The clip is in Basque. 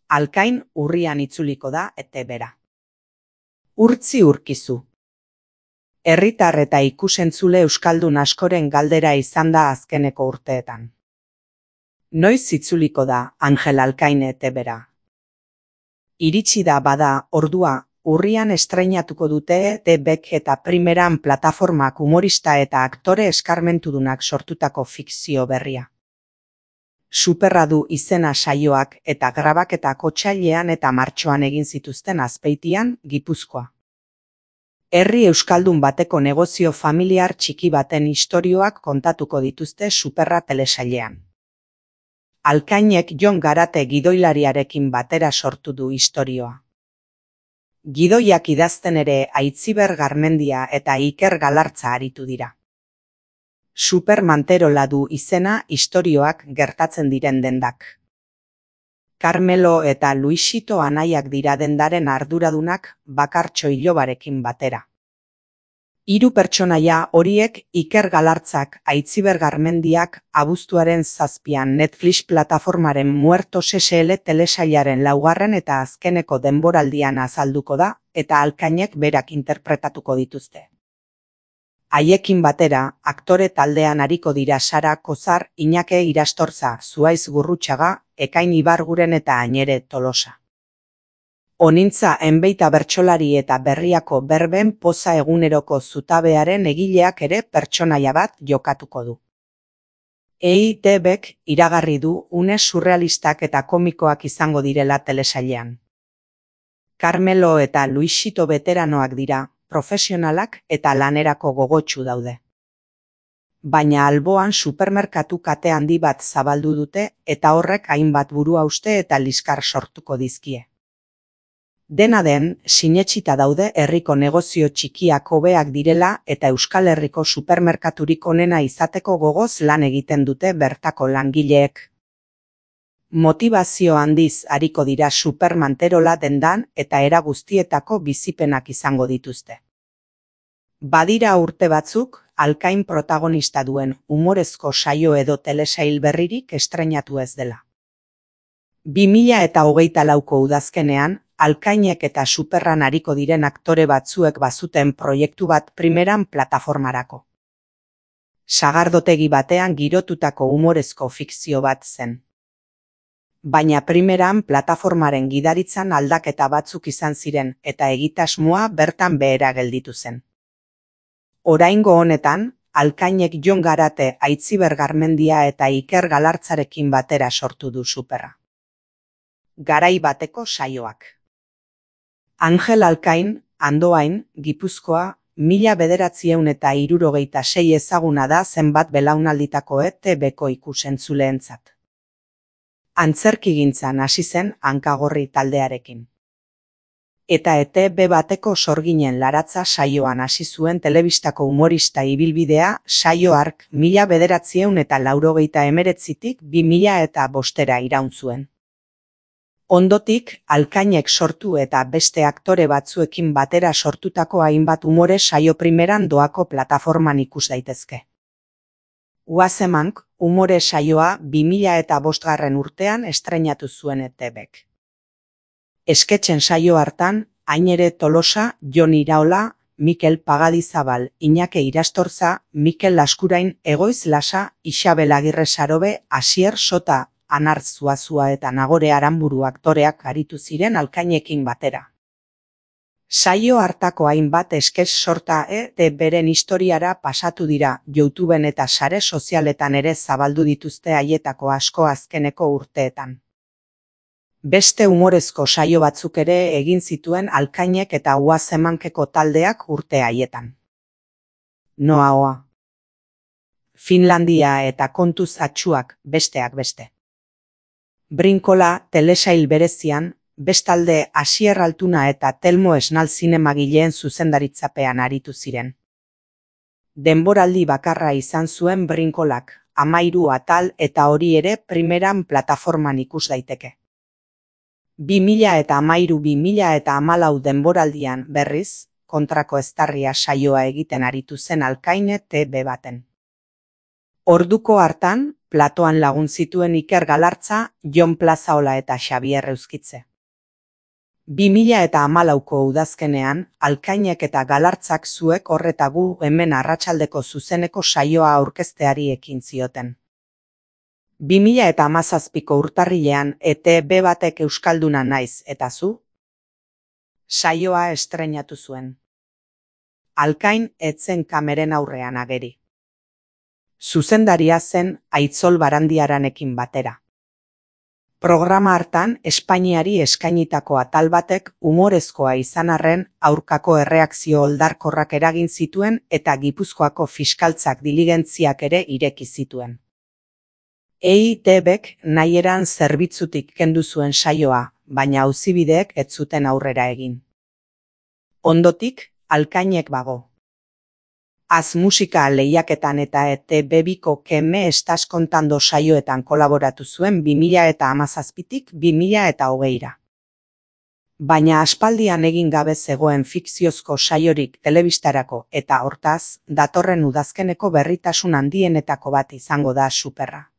Alkain urrian itzuliko da ETB-ra. Urtzi urkizu. Herritar eta ikusentzule euskaldun askoren galdera izan da azkeneko urteetan. Noiz itzuliko da Angel Alkain ETB-ra? Iritsi da bada ordua, urrian estreinatuko dute ETB-k eta Primeran plataformak humorista eta aktore eskarmentudunak sortutako fikzio berria. Superra du izena saioak eta grabaketak otsailean eta martxoan egin zituzten Azpeitian, Gipuzkoa. Herri euskaldun bateko negozio familiar txiki baten istorioak kontatuko dituzte Superra telesailean. Alkainek Jon Garate gidoilariarekin batera sortu du istorioa. Gidoiak idazten ere Aitziber Garmendia eta Iker Galartza aritu dira. Super Manterola du izena istorioak gertatzen diren dendak. Carmelo eta Luisito anaiak dira dendaren arduradunak Bakartxo Ilobarekin batera. Hiru pertsonaia horiek Iker Galartzak, Aitziber Garmendiak abuztuaren 7an Netflix plataformaren Muertos SL telesailaren 4. eta azkeneko denboraldian azalduko da eta Alkainek berak interpretatuko dituzte. Haiekin batera, aktore taldean ariko dira Sara Kozar, Iñake Irastorza, Zuaiz Gurrutxaga, Ekain Ibarguren eta Añere Tolosa. Onintza enbeita bertsolari eta berriako berben poza eguneroko zutabearen egileak ere pertsonaia bat jokatuko du. EITB-k iragarri du une surrealistak eta komikoak izango direla telesailean. Carmelo eta Luisito beteranoak dira, profesionalak eta lanerako gogotsu daude. Baina alboan supermerkatu kate handi bat zabaldu dute eta horrek hainbat buruhauste eta liskar sortuko dizkie. Dena den, sinetsita daude herriko negozio txikiak hobeak direla eta Euskal Herriko supermerkaturik onena izateko gogoz lan egiten dute bertako langileek. Motivazio handiz ariko dira Super Manterola dendan eta era guztietako bizipenak izango dituzte. Badira urte batzuk, Alkain protagonista duen humorezko saio edo telesail berririk estreinatu ez dela. 2024ko udazkenean, Alkainek eta Superran ariko diren aktore batzuek bazuten proiektu bat Primeran plataformarako. Sagardotegi batean girotutako humorezko fikzio bat zen. Baina Primeran plataformaren gidaritzan aldaketa batzuk izan ziren eta egitasmoa bertan behera gelditu zen. Oraingo honetan, Alkainek Jon Garate, Aitziber Garmendia eta Iker Galartzarekin batera sortu du Superra. Garai bateko saioak. Angel Alkain, Andoain, Gipuzkoa, 1976 ezaguna da zenbat belaunalditako ETB-ko ikusentzuleentzat. Antzerkigintzan hasi zen Hankagorri taldearekin. Eta ETB bateko sorginen laratza saioan hasi zuen telebistako humorista ibilbidea saio hark 1989tik 2005 iraun zuen. Ondotik, Alkainek sortu eta beste aktore batzuekin batera sortutako hainbat umore saio Primeran doako plataforman ikus daitezke. Uazemank, umore saioa 2005 urtean estreinatu zuen ETB-k. Esketxen saio hartan, Añere Tolosa, Jon Iraola, Mikel Pagadizabal, Iñake Irastorza, Mikel Laskurain, Egoiz Lasa, Isabel Agirre Sarobe, Asier Sota, Anar Zuazua eta Nagore Aranburu aktoreak aritu ziren Alkainekin batera. Saio hartako hainbat esketx sorta ETB-ren historiara pasatu dira, YouTubeen eta sare sozialetan ere zabaldu dituzte haietako asko azkeneko urteetan. Beste humorezko saio batzuk ere egin zituen Alkainek eta Uazemankeko taldeak urte haietan. Noaoa. Finlandia eta Kontuz atxuak besteak beste. Brinkola telesail berezian, bestalde Asier Altuna eta Telmo Esnal zinemagileen zuzendaritzapean aritu ziren. Denboraldi bakarra izan zuen Brinkolak, 13 atal eta hori ere Primeran plataforman ikus daiteke. 2013-2014 denboraldian berriz, kontrako eztarria saioa egiten aritu zen Alkain ETB baten. Orduko hartan, platoan lagun zituen Iker Galartza, Jon Plazaola eta Xabier Euskitze. 2014ko udazkenean, Alkainek eta Galartzak zuek horreta gu hemen arratsaldeko zuzeneko saioa aurkezteari ekin zioten. 2017ko urtarrilean ETB batek Euskalduna naiz eta zu? Saioa estreinatu zuen. Alkain etzen kameren aurrean ageri. Zuzendaria zen Aitzol Barandiaranekin batera. Programa hartan Espainiari eskainitako atal batek umorezkoa izan arren aurkako erreakzio oldarkorrak eragin zituen eta Gipuzkoako fiskaltzak diligentziak ere ireki zituen. EITBek nahieran zerbitzutik kendu zuen saioa, baina auzibideek ez zuten aurrera egin. Ondotik, Alkainek bago. Az musika lehiaketan eta ETB2ko Que me estás contando saioetan kolaboratu zuen 2017tik 2020ra. Baina aspaldian egin gabe zegoen fikziozko saiorik telebistarako eta hortaz, datorren udazkeneko berritasun handienetako bat izango da Superra.